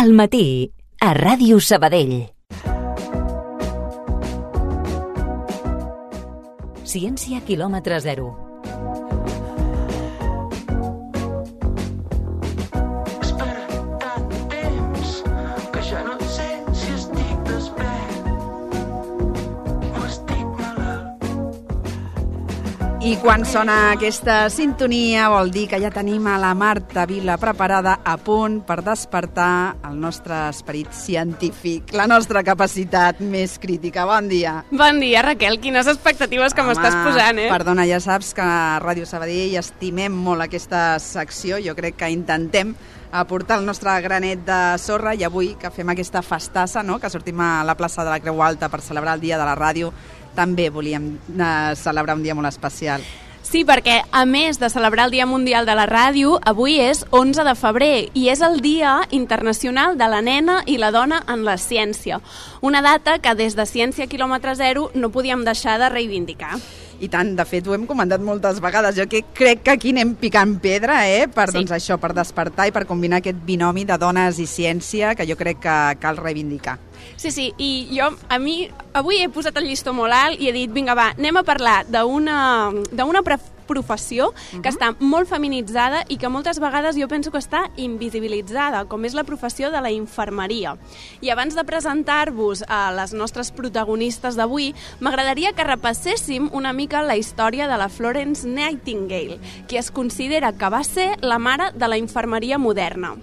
Al matí, a Ràdio Sabadell. Ciència quilòmetre zero. I quan sona aquesta sintonia vol dir que ja tenim a la Marta Vila preparada a punt per despertar el nostre esperit científic, la nostra capacitat més crítica. Bon dia. Bon dia, Raquel. Quines expectatives que m'estàs posant, eh? Perdona, ja saps que a Ràdio Sabadell estimem molt aquesta secció. Jo crec que intentem aportar el nostre granet de sorra i avui que fem aquesta festassa, no?, que sortim a la plaça de la Creu Alta per celebrar el Dia de la Ràdio, també volíem celebrar un dia molt especial. Sí, perquè a més de celebrar el Dia Mundial de la Ràdio, avui és 11 de febrer i és el Dia Internacional de la Nena i la Dona en la Ciència. Una data que des de Ciència quilòmetre zero no podíem deixar de reivindicar. I tant, de fet, ho hem comentat moltes vegades. Jo crec que aquí anem picant pedra, per, doncs això, per despertar i per combinar aquest binomi de dones i ciència que jo crec que cal reivindicar. Sí, i jo, avui he posat el llistó molt alt i he dit, vinga, va, anem a parlar d'una professió que està molt feminitzada i que moltes vegades jo penso que està invisibilitzada, com és la professió de la infermeria. I abans de presentar-vos a les nostres protagonistes d'avui, m'agradaria que repasséssim una mica la història de la Florence Nightingale, qui es considera que va ser la mare de la infermeria moderna.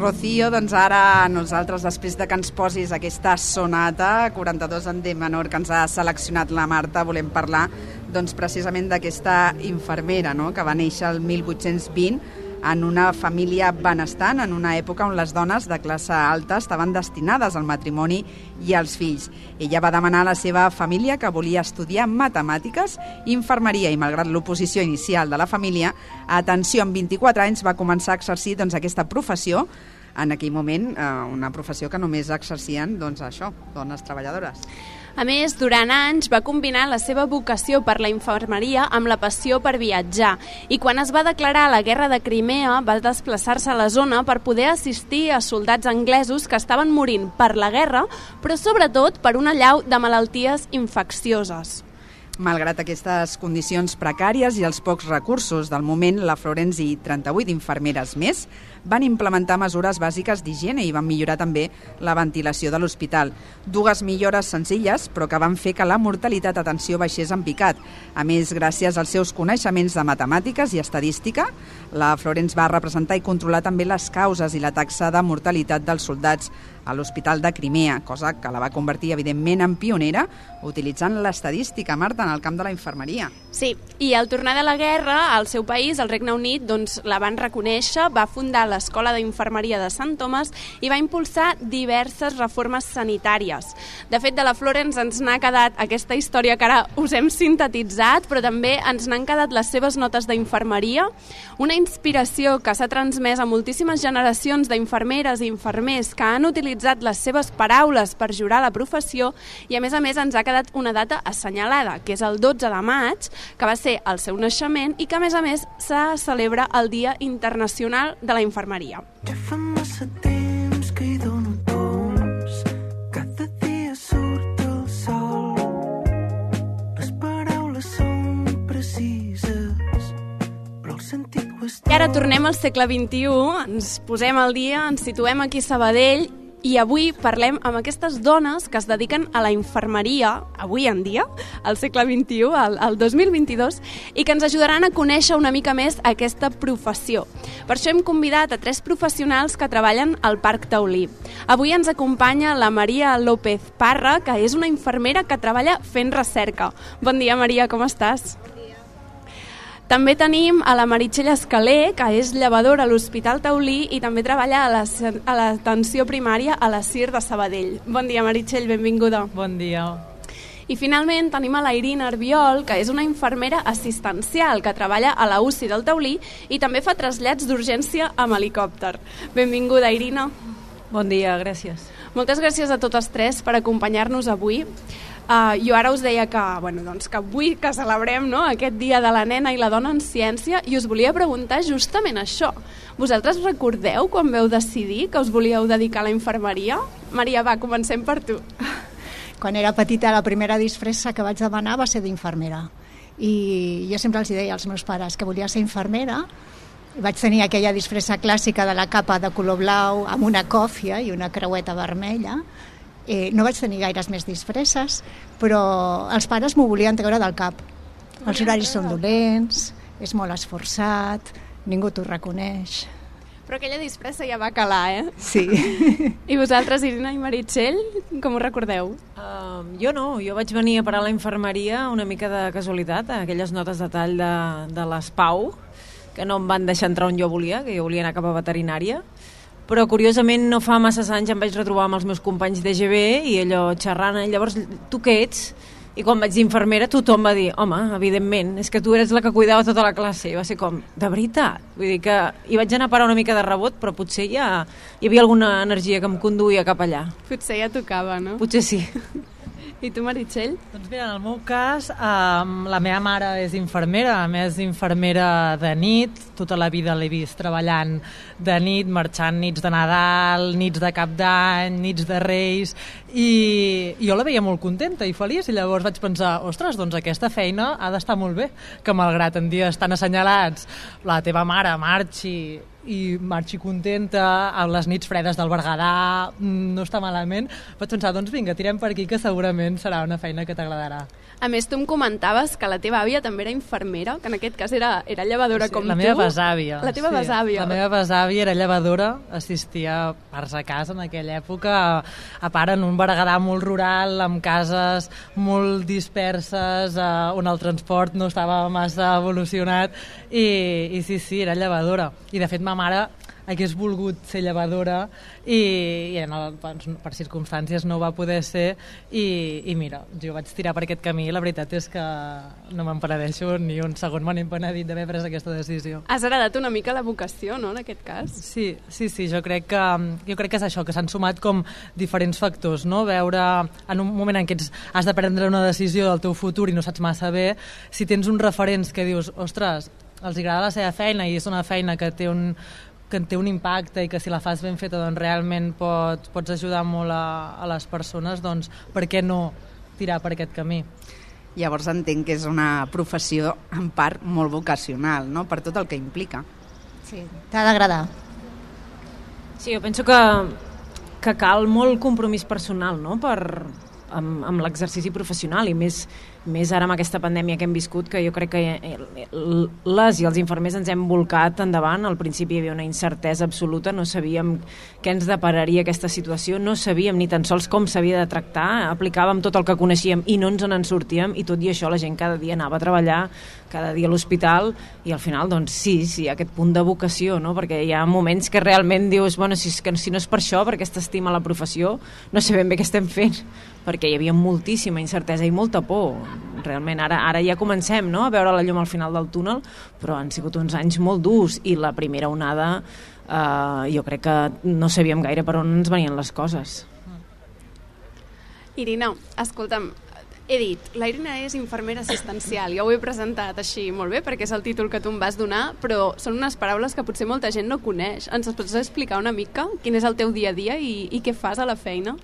Rocío, doncs ara nosaltres, després de que ens posis aquesta sonata 42 en D menor que ens ha seleccionat la Marta, volem parlar doncs, precisament d'aquesta infermera, no?, que va néixer el 1820 en una família benestant, en una època on les dones de classe alta estaven destinades al matrimoni i als fills. Ella va demanar a la seva família que volia estudiar matemàtiques i infermeria i, malgrat l'oposició inicial de la família, atenció, amb 24 anys va començar a exercir doncs, aquesta professió, en aquell moment una professió que només exercien doncs, això, dones treballadores. A més, durant anys va combinar la seva vocació per la infermeria amb la passió per viatjar i quan es va declarar la guerra de Crimea va desplaçar-se a la zona per poder assistir a soldats anglesos que estaven morint per la guerra, però sobretot per una allau de malalties infeccioses. Malgrat aquestes condicions precàries i els pocs recursos del moment, la Florence i 38 infermeres més van implementar mesures bàsiques d'higiene i van millorar també la ventilació de l'hospital. Dues millores senzilles, però que van fer que la mortalitat, atenció, baixés en picat. A més, gràcies als seus coneixements de matemàtiques i estadística, la Florence va representar i controlar també les causes i la taxa de mortalitat dels soldats a l'Hospital de Crimea, cosa que la va convertir, evidentment, en pionera, utilitzant l'estadística, Marta, en el camp de la infermeria. Sí, i al tornar de la guerra, al seu país, al Regne Unit, doncs, la van reconèixer, va fundar l'Escola d'Infermeria de Sant Thomas i va impulsar diverses reformes sanitàries. De fet, de la Florence ens n'ha quedat aquesta història que ara us hem sintetitzat, però també ens n'han quedat les seves notes d'infermeria, una inspiració que s'ha transmès a moltíssimes generacions d'infermeres i infermers que han utilitzat les seves paraules per jurar la professió i, a més, ens ha quedat una data assenyalada, que és el 12 de maig, que va ser el seu naixement i que, a més, se celebra el Dia Internacional de la Infermeria. Ja fa massa temps que hi dono tombs, cada dia surt el sol, les paraules són precises, però el sentit ho és tot. I ara tornem al segle XXI, ens posem al dia, ens situem aquí a Sabadell i avui parlem amb aquestes dones que es dediquen a la infermeria, avui en dia, al segle XXI, al 2022, i que ens ajudaran a conèixer una mica més aquesta professió. Per això hem convidat a 3 professionals que treballen al Parc Taulí. Avui ens acompanya la Maria López Parra, que és una infermera que treballa fent recerca. Bon dia, Maria, com estàs? També tenim a la Meritxell Escaler, que és llevadora a l'Hospital Taulí i també treballa a l'atenció primària a la CIR de Sabadell. Bon dia, Meritxell, benvinguda. Bon dia. I finalment tenim a la Irina Arbiol, que és una infermera assistencial que treballa a la UCI del Taulí i també fa trasllats d'urgència amb helicòpter. Benvinguda, Irina. Bon dia, gràcies. Moltes gràcies a totes tres per acompanyar-nos avui. Jo ara us deia que avui que celebrem, no?, aquest dia de la nena i la dona en ciència, i us volia preguntar justament això. Vosaltres recordeu quan vau decidir que us volíeu dedicar a la infermeria? Maria, va, comencem per tu. Quan era petita, la primera disfressa que vaig demanar va ser d'infermera. I jo sempre els deia als meus pares que volia ser infermera. Vaig tenir aquella disfressa clàssica de la capa de color blau amb una còfia i una creueta vermella. No vaig tenir gaires més disfresses, però els pares m'ho volien treure del cap. Els horaris són dolents, és molt esforçat, ningú t'ho reconeix. Però aquella disfressa ja va calar, Sí. I vosaltres, Irina i Meritxell, com ho recordeu? Jo no, jo vaig venir a parar a la infermeria una mica de casualitat, a aquelles notes de tall de l'ESPAU, que no em van deixar entrar on jo volia, que jo volia anar cap a veterinària. Però curiosament no fa massa anys em vaig retrobar amb els meus companys d'EGB i allò xerrant, llavors tu què ets? I quan vaig dir infermera tothom va dir, home, evidentment, és que tu eres la que cuidava tota la classe. I va ser com, de veritat? Vull dir que hi vaig anar a parar una mica de rebot, però potser ja hi havia alguna energia que em conduïa cap allà. Potser ja tocava, no? Potser sí. I tu, Meritxell? Doncs mira, en el meu cas, la meva mare és infermera, a més infermera de nit, tota la vida l'he vist treballant de nit, marxant nits de Nadal, nits de Cap d'Any, nits de Reis, i jo la veia molt contenta i feliç, i llavors vaig pensar, ostres, doncs aquesta feina ha d'estar molt bé, que malgrat en dies tan assenyalats la teva mare marxi contenta, a les nits fredes del Berguedà, no està malament. Vaig pensar, doncs vinga, tirem per aquí, que segurament serà una feina que t'agradarà. A més, tu em comentaves que la teva àvia també era infermera, que en aquest cas era llevadora com tu. La meva besàvia. La teva besàvia. La meva besàvia era llevadora, assistia a parts a casa en aquella època, a part en un Berguedà molt rural, amb cases molt disperses, on el transport no estava massa evolucionat, i sí, era llevadora. I de fet ma mare hagués volgut ser llevadora i per circumstàncies no va poder ser i mira, jo vaig tirar per aquest camí i la veritat és que no me'n penedeixo ni un segon, me n'he penedit d'haver pres aquesta decisió. Has heredat una mica la vocació, no?, en aquest cas? Sí, jo crec que és això, que s'han sumat com diferents factors, no? Veure en un moment en què has de prendre una decisió del teu futur i no saps massa bé, si tens uns referents que dius, ostres, els agrada la seva feina i és una feina que té un impacte i que si la fas ben feta doncs realment pots ajudar molt a les persones, doncs per què no tirar per aquest camí? Llavors entenc que és una professió en part molt vocacional, no?, per tot el que implica. Sí, t'ha d'agradar. Sí, jo penso que cal molt compromís personal, no?, amb l'exercici professional i més ara amb aquesta pandèmia que hem viscut, que jo crec que les i els infermers ens hem volcat endavant. Al principi hi havia una incertesa absoluta, no sabíem què ens depararia aquesta situació, no sabíem ni tan sols com s'havia de tractar, aplicàvem tot el que coneixíem i no ens en sortíem, i tot i això la gent cada dia anava a treballar, cada dia a l'hospital, i al final doncs sí, aquest punt de vocació, no?, perquè hi ha moments que realment dius, bueno, si no és per això, perquè t'estima la professió, no sabem bé què estem fent, perquè hi havia moltíssima incertesa i molta por. Realment ara ja comencem, no?, a veure la llum al final del túnel, però han sigut uns anys molt durs i la primera onada jo crec que no sabíem gaire per on ens venien les coses. Irina, escolta'm, he dit, la Irina és infermera assistencial, jo ho he presentat així molt bé perquè és el títol que tu em vas donar, però són unes paraules que potser molta gent no coneix. Ens pots explicar una mica quin és el teu dia a dia i què fas a la feina?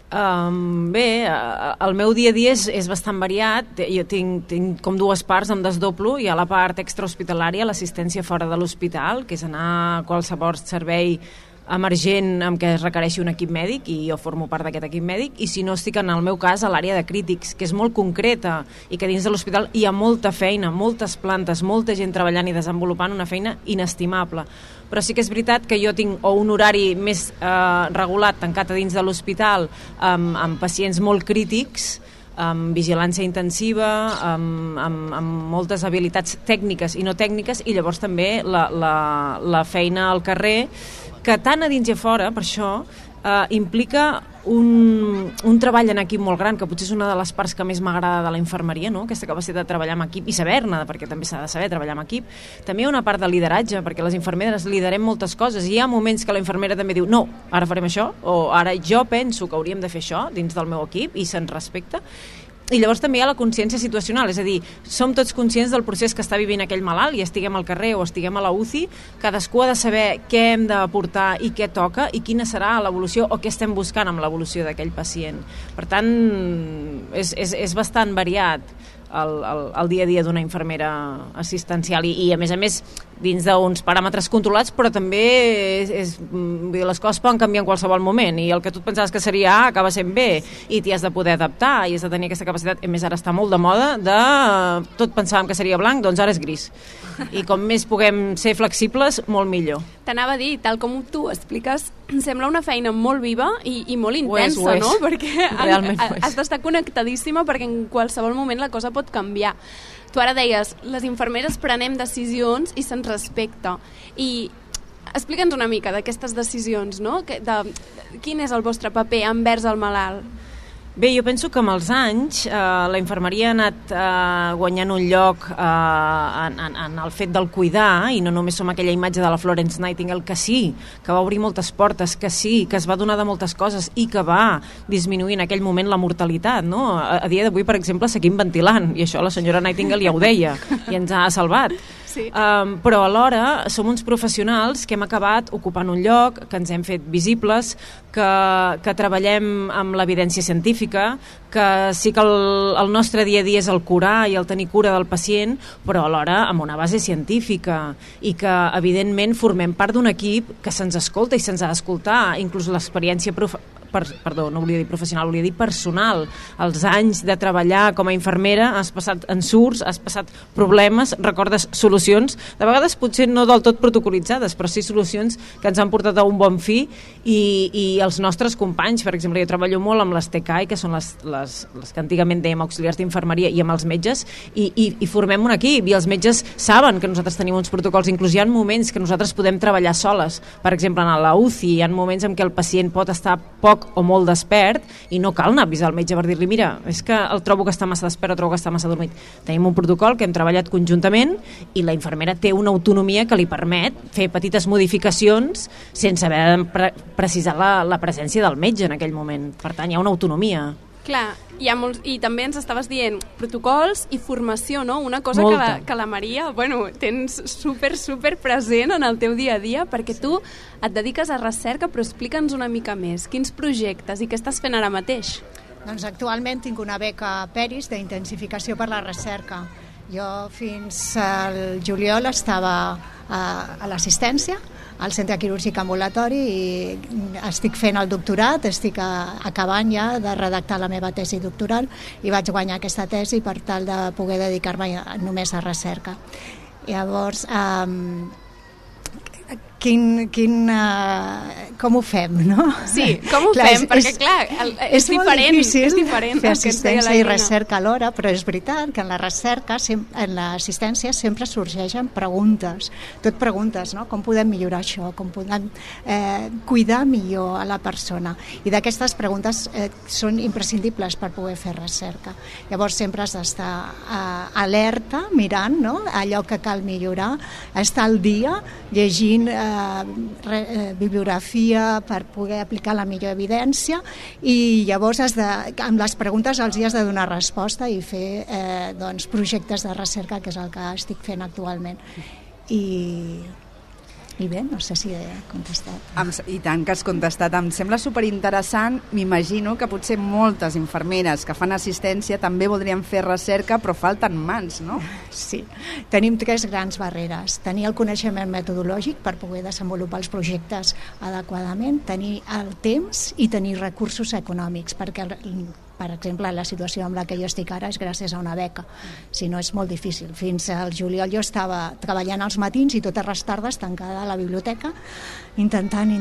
Bé, el meu dia a dia és bastant variat. Jo tinc com dues parts, em desdoblo. Hi ha la part extrahospitalària, l'assistència fora de l'hospital, que és anar a qualsevol servei emergent amb què es requereixi un equip mèdic, i jo formo part d'aquest equip mèdic, i si no estic en el meu cas a l'àrea de crítics, que és molt concreta i que dins de l'hospital hi ha molta feina, moltes plantes, molta gent treballant i desenvolupant una feina inestimable. Però sí que és veritat que jo tinc un horari més regulat, tancat a dins de l'hospital, amb pacients molt crítics, amb vigilància intensiva, amb moltes habilitats tècniques i no tècniques, i llavors també la feina al carrer, que tant a dins i a fora, per això, implica un treball en equip molt gran, que potser és una de les parts que més m'agrada de la infermeria, no? Aquesta capacitat de treballar en equip i saber-ne, perquè també s'ha de saber treballar en equip. També hi ha una part de lideratge, perquè les infermeres liderem moltes coses i hi ha moments que la infermera també diu no, ara farem això, o ara jo penso que hauríem de fer això dins del meu equip i se'n respecta. I llavors també hi ha la consciència situacional, és a dir, som tots conscients del procés que està vivint aquell malalt i estiguem al carrer o estiguem a la UCI, cadascú ha de saber què hem d'aportar i què toca i quina serà l'evolució o què estem buscant amb l'evolució d'aquell pacient. Per tant, és bastant variat el dia a dia d'una infermera assistencial i a més dins d'uns paràmetres controlats, però també les coses poden canviar en qualsevol moment i el que tu et pensaves que seria A acaba sent B i t'hi has de poder adaptar i has de tenir aquesta capacitat. A més, ara està molt de moda de tot pensàvem que seria blanc, doncs ara és gris. I com més puguem ser flexibles, molt millor. T'anava a dir, tal com tu expliques, sembla una feina molt viva i molt intensa, no? Perquè has d'estar connectadíssima perquè en qualsevol moment la cosa pot canviar. Tu ara deies, les infermeres prenem decisions i se'ns respecta. I explica'ns una mica d'aquestes decisions, no? Quin és el vostre paper envers el malalt? Bé, jo penso que amb els anys la infermeria ha anat guanyant un lloc en el fet del cuidar i no només som aquella imatge de la Florence Nightingale que sí, que va obrir moltes portes, que sí, que es va donar de moltes coses i que va disminuir en aquell moment la mortalitat, no? A dia d'avui, per exemple, seguim ventilant i això la senyora Nightingale ja ho deia i ens ha salvat. Sí. Però alhora som uns professionals que hem acabat ocupant un lloc, que ens hem fet visibles, que treballem amb l'evidència científica, que sí que el nostre dia a dia és el curar i el tenir cura del pacient, però alhora amb una base científica i que evidentment formem part d'un equip que se'ns escolta i se'ns ha d'escoltar, inclús l'experiència no volia dir professional, volia dir personal. Els anys de treballar com a infermera has passat ensurts, has passat problemes, recordes solucions, de vegades potser no del tot protocolitzades, però sí solucions que ens han portat a un bon fi i els nostres companys, per exemple, jo treballo molt amb les TCAI, que són les que antigament dèiem auxiliars d'infermeria, i amb els metges, i formem un equip, i els metges saben que nosaltres tenim uns protocols, inclús hi ha moments que nosaltres podem treballar soles, per exemple, en la UCI, hi ha moments en què el pacient pot estar poc o molt despert i no cal anar a avisar el metge per dir-li mira, és que el trobo que està massa despert o trobo que està massa dormit. Tenim un protocol que hem treballat conjuntament i la infermera té una autonomia que li permet fer petites modificacions sense haver de precisar la presència del metge en aquell moment. Per tant, hi ha una autonomia. Clar, i també ens estaves dient protocols i formació, no? Una cosa que la Maria, tens super present en el teu dia a dia, perquè tu et dediques a recerca, però explica'ns una mica més. Quins projectes i què estàs fent ara mateix? Doncs actualment tinc una beca PERIS d'intensificació per la recerca. Jo fins al juliol estava a l'assistència, al centre quirúrgic ambulatori, i estic fent el doctorat, estic acabant ja de redactar la meva tesi doctoral i vaig guanyar aquesta tesi per tal de poder dedicar-me només a recerca. Llavors, com ho fem, no? Sí, com ho fem? Perquè clar, és diferent. És diferent fer assistència i recerca alhora, però és veritat que en la recerca, en l'assistència sempre sorgeixen preguntes, tot preguntes, no? Com podem millorar això? Com podem cuidar millor a la persona? I d'aquestes preguntes són imprescindibles per poder fer recerca. Llavors sempre has d'estar alerta, mirant, no? Allò que cal millorar, estar al dia llegint bibliografia per poder aplicar la millor evidència, i llavors amb les preguntes els has de donar resposta i fer projectes de recerca, que és el que estic fent actualment. I bé, no sé si he contestat. I tant que has contestat. Em sembla superinteressant. M'imagino que potser moltes infermeres que fan assistència també voldrien fer recerca, però falten mans, no? Sí. Tenim 3 grans barreres. Tenir el coneixement metodològic per poder desenvolupar els projectes adequadament, tenir el temps i tenir recursos econòmics, perquè per exemple, la situació amb la que jo estic ara és gràcies a una beca, si no és molt difícil. Fins al juliol jo estava treballant als matins i totes les tardes tancada a la biblioteca intentant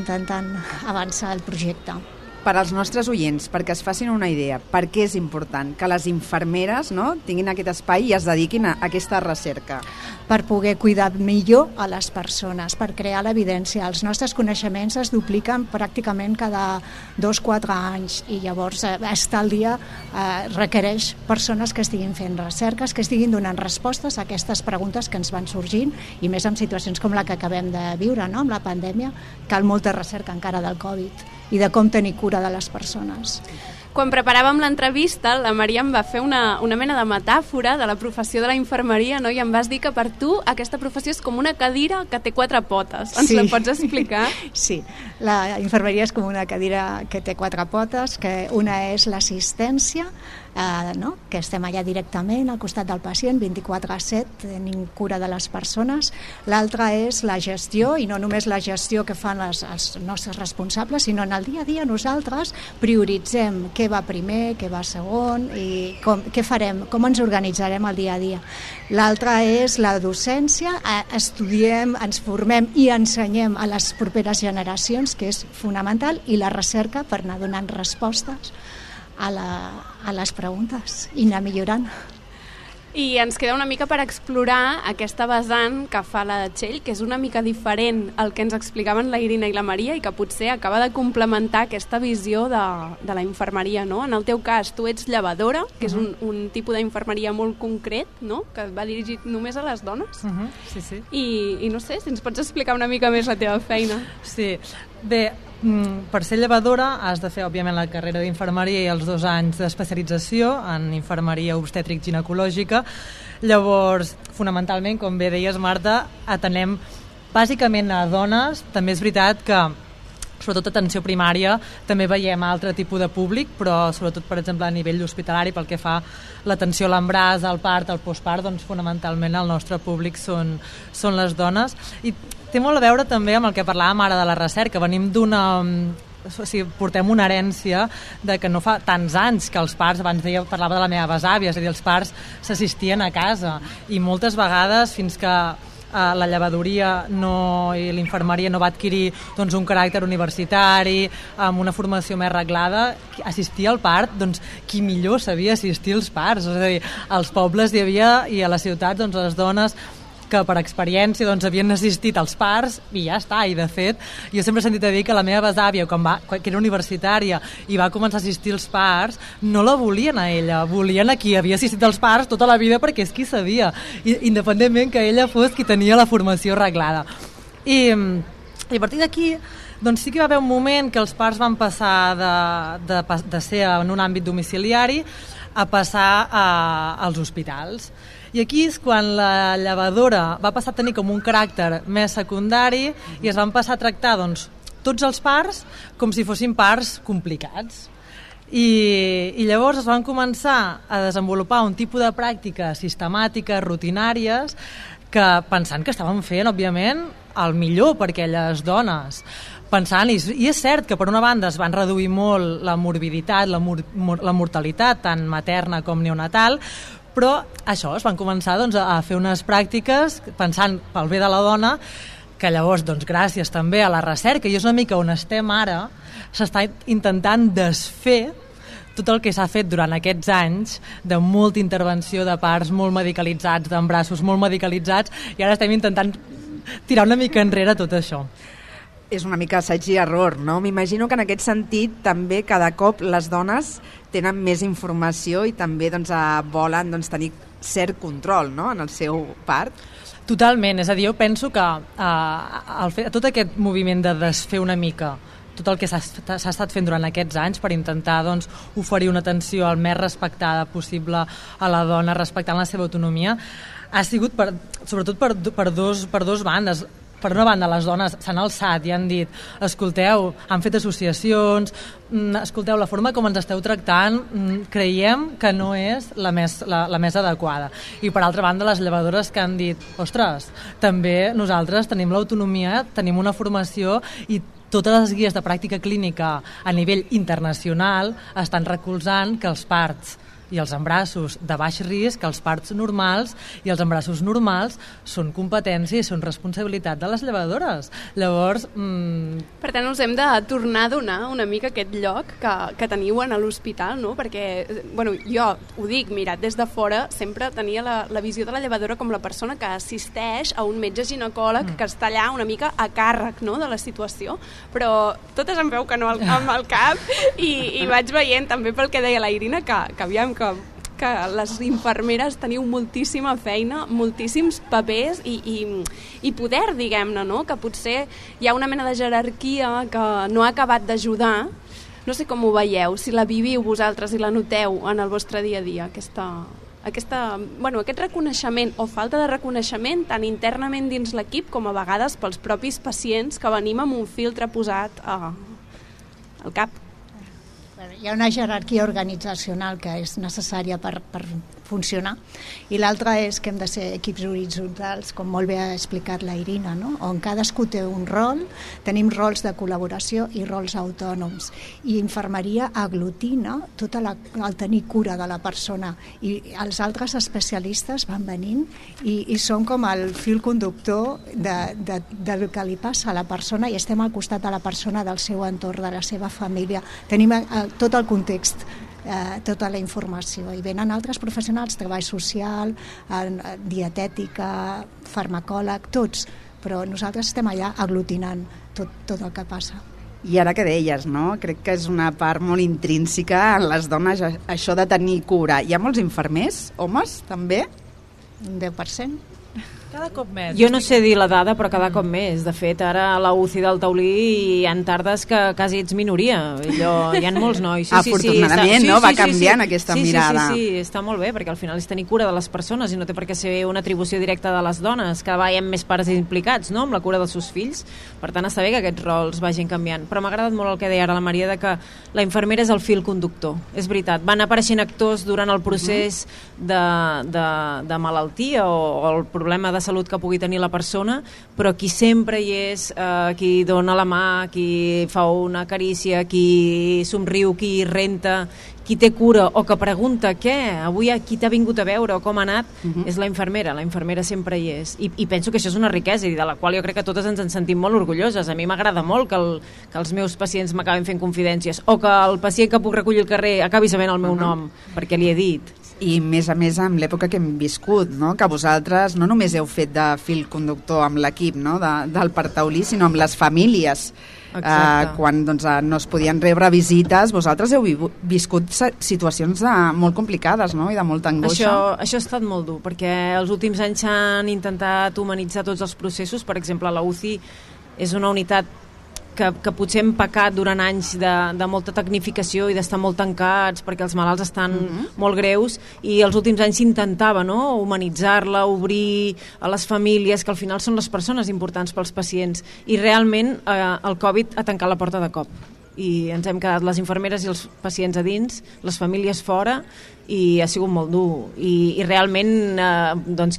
avançar el projecte. Per als nostres oients, perquè es facin una idea, per què és important que les infermeres, no, tinguin aquest espai i es dediquin a aquesta recerca? Per poder cuidar millor a les persones, per crear l'evidència. Els nostres coneixements es dupliquen pràcticament cada 2-4 anys i llavors estar al dia requereix persones que estiguin fent recerques, que estiguin donant respostes a aquestes preguntes que ens van sorgint, i més en situacions com la que acabem de viure, no?, amb la pandèmia. Cal molta recerca encara del Covid i de com tenir cura de les persones. Quan preparàvem l'entrevista, la Maria em va fer una mena de metàfora de la professió de la infermeria, no? I em vas dir que per tu aquesta professió és com una cadira que té 4 potes. Ens la pots explicar? Sí, la infermeria és com una cadira que té 4 potes, que una és l'assistència, no?, que estem allà directament al costat del pacient, 24/7, tenim cura de les persones. L'altra és la gestió, i no només la gestió que fan els nostres responsables, sinó en el dia a dia nosaltres prioritzem què va primer, què va segon i què farem, com ens organitzarem el dia a dia. L'altra és la docència, estudiem, ens formem i ensenyem a les properes generacions, que és fonamental, i la recerca per anar donant respostes a les preguntes i anar millorant. I ens queda una mica per explorar aquesta vessant que fa la de Txell, que és una mica diferent al que ens explicaven la Irina i la Maria i que potser acaba de complementar aquesta visió de la infermeria, no? En el teu cas, tu ets llevadora, que és un tipus d'infermeria molt concret, no?, que va dirigit només a les dones. Sí, sí. I no sé, si ens pots explicar una mica més la teva feina. Sí, bé, per ser llevadora has de fer, òbviament, la carrera d'infermeria i els 2 anys d'especialització en infermeria obstètric-ginecològica. Llavors, fonamentalment, com bé deies, Marta, atenem bàsicament a dones. També és veritat que, sobretot atenció primària, també veiem altre tipus de públic, però sobretot, per exemple, a nivell hospitalari, pel que fa l'atenció a l'embràs, al part, al postpart, doncs fonamentalment el nostre públic són les dones. I té molt a veure també amb el que parlàvem ara de la recerca. Venim portem una herència de que no fa tants anys que els parts, abans parlava de la meva besàvia, és a dir, els parts s'assistien a casa, i moltes vegades, fins que la llevadoria i l'infermeria no va adquirir doncs, un caràcter universitari, amb una formació més reglada, assistir al part, doncs qui millor sabia assistir als parts? És a dir, als pobles hi havia, i a les ciutats, doncs, les dones que per experiència doncs, havien assistit als parts i ja està. I de fet, jo sempre he sentit a dir que la meva besàvia, que era universitària i va començar a assistir als parts, no la volien a ella, volien a qui havia assistit als parts tota la vida, perquè és qui sabia, independentment que ella fos qui tenia la formació reglada. I a partir d'aquí doncs sí que va haver un moment que els parts van passar de ser en un àmbit domiciliari a passar als hospitals. I aquí és quan la llevadora va passar a tenir com un caràcter més secundari i es van passar a tractar doncs, tots els parts com si fossin parts complicats. I llavors es van començar a desenvolupar un tipus de pràctiques sistemàtiques, rutinàries, que pensant que estaven fent, òbviament, el millor per aquelles dones. Pensant, i és cert que per una banda es van reduir molt la morbiditat, la mortalitat, tant materna com neonatal, però això, es van començar doncs, a fer unes pràctiques pensant pel bé de la dona, que llavors, doncs, gràcies també a la recerca, i és una mica on estem ara, s'està intentant desfer tot el que s'ha fet durant aquests anys de molta intervenció de parts molt medicalitzats, d'embrassos molt medicalitzats, i ara estem intentant tirar una mica enrere tot això. És una mica assaig i error, no? M'imagino que en aquest sentit també cada cop les dones tenen més informació i també doncs, volen doncs, tenir cert control, no?, en el seu part. Totalment, és a dir, jo penso que tot aquest moviment de desfer una mica tot el que s'ha estat fent durant aquests anys per intentar doncs, oferir una atenció el més respectada possible a la dona, respectant la seva autonomia, ha sigut sobretot per dos bandes. Per una banda, les dones s'han alçat i han dit, escolteu, han fet associacions, escolteu, la forma com ens esteu tractant creiem que no és la més adequada. I per altra banda, les llevadores que han dit, ostres, també nosaltres tenim l'autonomia, tenim una formació i totes les guies de pràctica clínica a nivell internacional estan recolzant que els parts i els embarassos de baix risc, els parts normals i els embarassos normals són competència i són responsabilitat de les llevadores. Llavors... Per tant, us hem de tornar a donar una mica aquest lloc que teniu en l'hospital, no? Perquè, bueno, jo ho dic, mirat des de fora, sempre tenia la visió de la llevadora com la persona que assisteix a un metge ginecòleg que està allà una mica a càrrec, no?, de la situació, però totes em veu que no amb el cap i vaig veient també pel que deia la Irina que aviam que les infermeres teniu moltíssima feina, moltíssims papers i poder, diguem-ne, no?, que potser hi ha una mena de jerarquia que no ha acabat d'ajudar. No sé com ho veieu, si la viviu vosaltres i la noteu en el vostre dia a dia, aquest reconeixement o falta de reconeixement tant internament dins l'equip com a vegades pels propis pacients que venim amb un filtre posat al cap. Hi ha una jerarquia organitzacional que és necessària per funcionar, i l'altra és que hem de ser equips horitzontals, com molt bé ha explicat la Irina, no?, on cadascú té un rol, tenim rols de col·laboració i rols autònoms, i infermeria aglutina tot el tenir cura de la persona, i els altres especialistes van venint i són com el fil conductor del que li passa a la persona, i estem al costat de la persona, del seu entorn, de la seva família, tenim tot el context, tota la informació, i venen altres professionals, treball social, dietètica, farmacòleg, tots, però nosaltres estem allà aglutinant tot el que passa. I ara que deies, no?, crec que és una part molt intrínseca en les dones, això de tenir cura. Hi ha molts infermers, homes, també? Un 10%. Cada cop més. Jo no sé dir la dada, però cada cop més. De fet, ara a la UCI del Taulí hi ha tardes que quasi ets minoria. Hi ha molts nois. Afortunadament, no? Va canviant aquesta mirada. Sí, està molt bé, perquè al final és tenir cura de les persones i no té per què ser una atribució directa de les dones. Cada vegada hi ha més pares implicats, no?, amb la cura dels seus fills. Per tant, està bé que aquests rols vagin canviant. Però m'ha agradat molt el que deia ara la Maria, de que la infermera és el fil conductor. És veritat, van apareixent actors durant el procés de malaltia o el problema de salut que pugui tenir la persona, però qui sempre hi és, qui dona la mà, qui fa una carícia, qui somriu, qui renta, qui té cura o que pregunta què, avui qui t'ha vingut a veure o com ha anat, és la infermera sempre hi és. I penso que això és una riquesa i de la qual jo crec que totes ens en sentim molt orgulloses. A mi m'agrada molt que els meus pacients m'acaben fent confidències o que el pacient que puc recollir al carrer acabi sabent el meu nom, perquè li he dit. I més a més amb l'època que hem viscut, no?, que vosaltres no només heu fet de fil conductor amb l'equip, no?, del Parc Taulí, sinó amb les famílies. Quan no es podien rebre visites, vosaltres heu viscut situacions molt complicades, no?, i de molta angoixa. Això ha estat molt dur, perquè els últims anys s'han intentat humanitzar tots els processos. Per exemple, la UCI és una unitat que potser hem pecat durant anys de molta tecnificació i d'estar molt tancats perquè els malalts estan molt greus, i els últims anys s'intentava, no?, humanitzar-la, obrir a les famílies, que al final són les persones importants pels pacients, i realment el Covid ha tancat la porta de cop i ens hem quedat les infermeres i els pacients a dins, les famílies fora, i ha sigut molt dur. I realment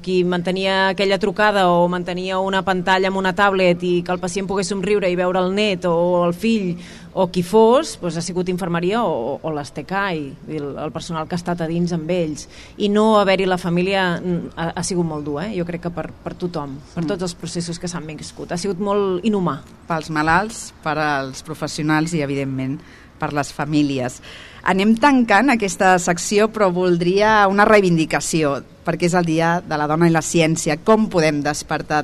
qui mantenia aquella trucada o mantenia una pantalla amb una tablet i que el pacient pogués somriure i veure el net o el fill o qui fos, ha sigut infermeria o l'ESTK i el personal que ha estat a dins amb ells. I no haver-hi la família ha sigut molt dur, jo crec que per tothom, per tots els processos que s'han viscut. Ha sigut molt inhumà. Pels malalts, per als professionals i, evidentment, per les famílies. Anem tancant aquesta secció, però voldria una reivindicació, perquè és el Dia de la Dona i la Ciència. Com podem despertar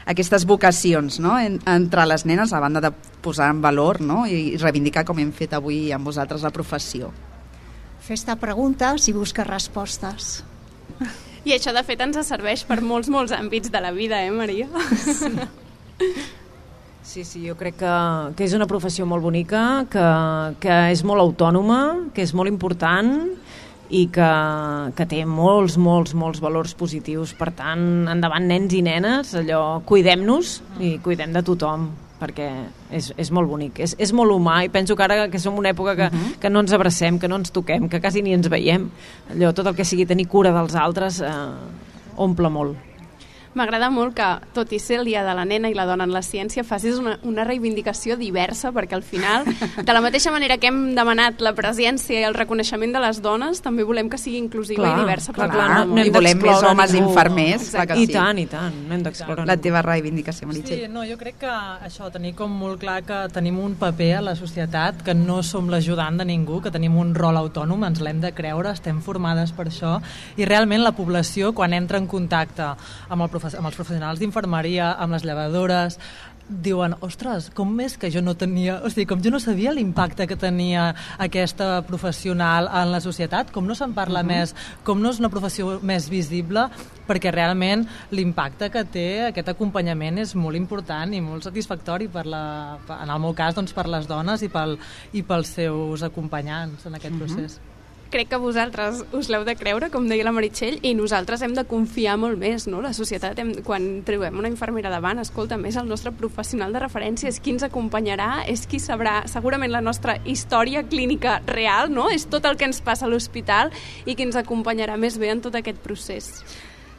aquestes vocacions, no?, entre les nenes, a banda de posar en valor, no?, i reivindicar, com hem fet avui amb vosaltres, la professió? Fes-te preguntes i busca respostes. I això, de fet, ens serveix per molts àmbits de la vida, Maria? Sí, jo crec que és una professió molt bonica, que és molt autònoma, que és molt important i que té molts valors positius. Per tant, endavant, nens i nenes, cuidem-nos i cuidem de tothom, perquè és molt bonic, és molt humà, i penso que ara que som una època que no ens abracem, que no ens toquem, que quasi ni ens veiem, tot el que sigui tenir cura dels altres omple molt. M'agrada molt que, tot i ser el dia de la nena i la dona en la ciència, facis una reivindicació diversa, perquè al final, de la mateixa manera que hem demanat la presència i el reconeixement de les dones, també volem que sigui inclusiva i diversa. I volem més homes infermers. I tant, no hem d'excloure la teva reivindicació, Meritxell. Sí, no, jo crec que això, tenir com molt clar que tenim un paper a la societat, que no som l'ajudant de ningú, que tenim un rol autònom, ens l'hem de creure, estem formades per això, i realment la població, quan entra en contacte amb els professionals d'infermeria, amb les llevadores, diuen, ostres, com és que jo no tenia, o sigui, com jo no sabia l'impacte que tenia aquesta professional en la societat, com no se'n parla més, com no és una professió més visible, perquè realment l'impacte que té aquest acompanyament és molt important i molt satisfactori en el meu cas, doncs, per les dones i pels seus acompanyants en aquest procés. Crec que vosaltres us l'heu de creure, com deia la Meritxell, i nosaltres hem de confiar molt més, no? La societat, quan trobem una infermera davant, escolta, és el nostre professional de referència, és qui ens acompanyarà, és qui sabrà segurament la nostra història clínica real, no? És tot el que ens passa a l'hospital i qui ens acompanyarà més bé en tot aquest procés.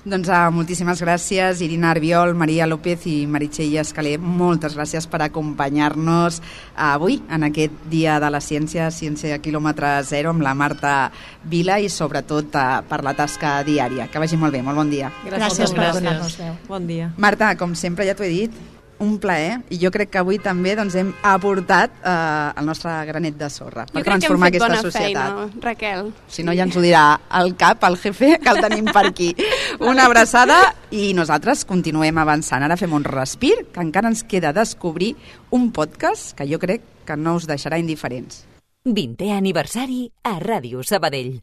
Doncs moltíssimes gràcies, Irina Arbiol, Maria López i Meritxell Escaler. Moltes gràcies per acompanyar-nos avui en aquest Dia de la Ciència, Ciència quilòmetre zero, amb la Marta Vila i sobretot per la tasca diària. Que vagi molt bé, molt bon dia. Gràcies per donar-nos veu. Bon dia. Marta, com sempre ja t'ho he dit, un plaer, i jo crec que avui també hem aportat el nostre granet de sorra per transformar aquesta societat. Jo crec que hem fet bona feina, Raquel. Si no, ja ens ho dirà el cap, el jefe, que el tenim per aquí. Una abraçada i nosaltres continuem avançant. Ara fem un respir, que encara ens queda descobrir un podcast que jo crec que no us deixarà indiferents. 20è aniversari a Ràdio Sabadell.